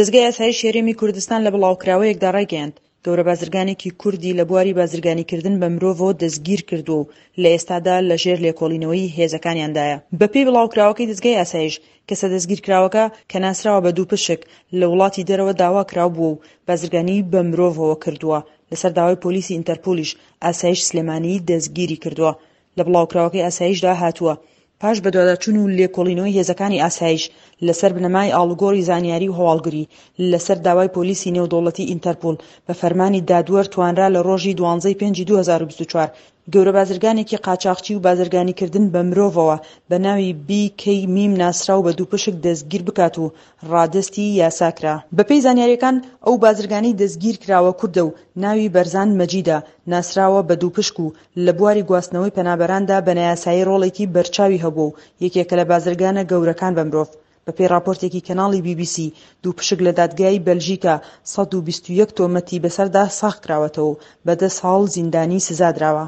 دەزگای ئاسایشی هەرێمی کوردستان لە بڵاوکراوەیەکدا ڕایگەیاند، گەورە بازرگانێکی کوردی لە بواری بازرگانیکردن بە مرۆڤەوە دەستگیرکردووە و لە ئێستادا لە ژێر لێکۆڵینەوەی هێزەکانیاندایە. بەپێی بڵاوکراوەکەی دەزگای ئاسایش، کەسە دەستگیرکراوەکە کە ناسراوە بە دووپشک، لە وڵاتی دەرەوە داواکراو بووە و بازرگانیی بە مرۆڤەوە کردووە، لەسەر داوای پۆلیسی ئینتەرپولیش ئاسایش سلێمانی دەستگیری کردووە. لە بڵاوکراوەکەی ئاسایشدا هاتووە، پاش بەدواداچوون و لێکۆڵینەوەی هێزەکانی ئاسایش لەسەر بنەمای ئاڵوگۆڕی زانیاری و هەواڵگری لەسەر داوای پۆلیسی نێودەوڵەتی ئینتەرپوڵ بە فەرمانی دادوەر توانرا لە ڕۆژی دوانزە ی پێنجی 2024 گەورە بازرگانێکی قاچاخچی و بازرگانیکردن بە مرۆڤەوە بە ناوی بی کەی میم ناسراو بە دووپشک دەستگیر بکات و ڕادەستی یاسا کرا. بەپێی زانیارییەکان ئەو بازرگانەی دەستگیرکراوە کوردە و ناوی بەرزان مەجیدە، ناسراوە بە دووپشک و لە بواری گواستنەوەی پەنابەراندا بە نایاسایی ڕۆڵێکی بەرچاوی هەبووە و یەکێکە لە بازرگانە گەورەکان بە مرۆڤ. بەپێی ڕاپۆرتێکی کەناڵی بی بی سی، دووپشک لە دادگای بەلژیکا 121 تۆمەتی بەسەردا ساغکراوەتەوە و بە دە ساڵ زیندانی سزادراوە.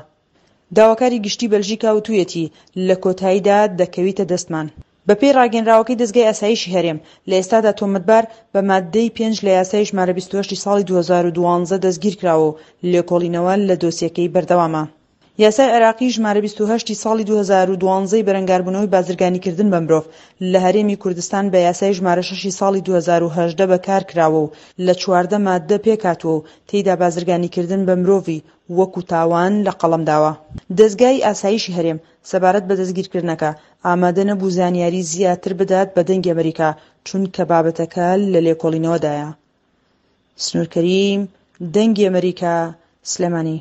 داواکاری گشتی بەلژیکا وتوویەتی، لە کۆتاییدا دەکەویتە دەستمان. بەپێی ڕاگەیەنراوەکەی دەزگای ئاسایشی هەرێم، لە ئێستادا تۆمەتبار بە ماددەی پێنج لە یاسای ژمارە 28 ی ساڵی 2012 دەستگیرکراوە و لێکۆڵینەوە لە دۆسیەکەی بەردەوامە. یاسای عێراقی ژمارە 28 ی ساڵی 2012 ی بەرەنگاربوونەوەی بازرگانیکردن بە مرۆڤ لە هەرێمی کوردستان بە یاسای ژمارە شەش ی ساڵی 2018 بەکارکراوە و لە 14 ماددە پێکهاتووە و تێیدا بازرگانیکردن بە مرۆڤی وەکو تاوان لە قەڵەم داوە. دەزگای ئاسایشی هەرێم سەبارەت بە دەستگیرکردنەکە، ئامادە نەبوو زانیاری زیاتر بدات بە دەنگی ئەمەریکا، چونکە بابەتەکە لە لێکۆڵینەوەدایە. سنوور کەریم، دەنگی ئەمەریکا، سلێمانی.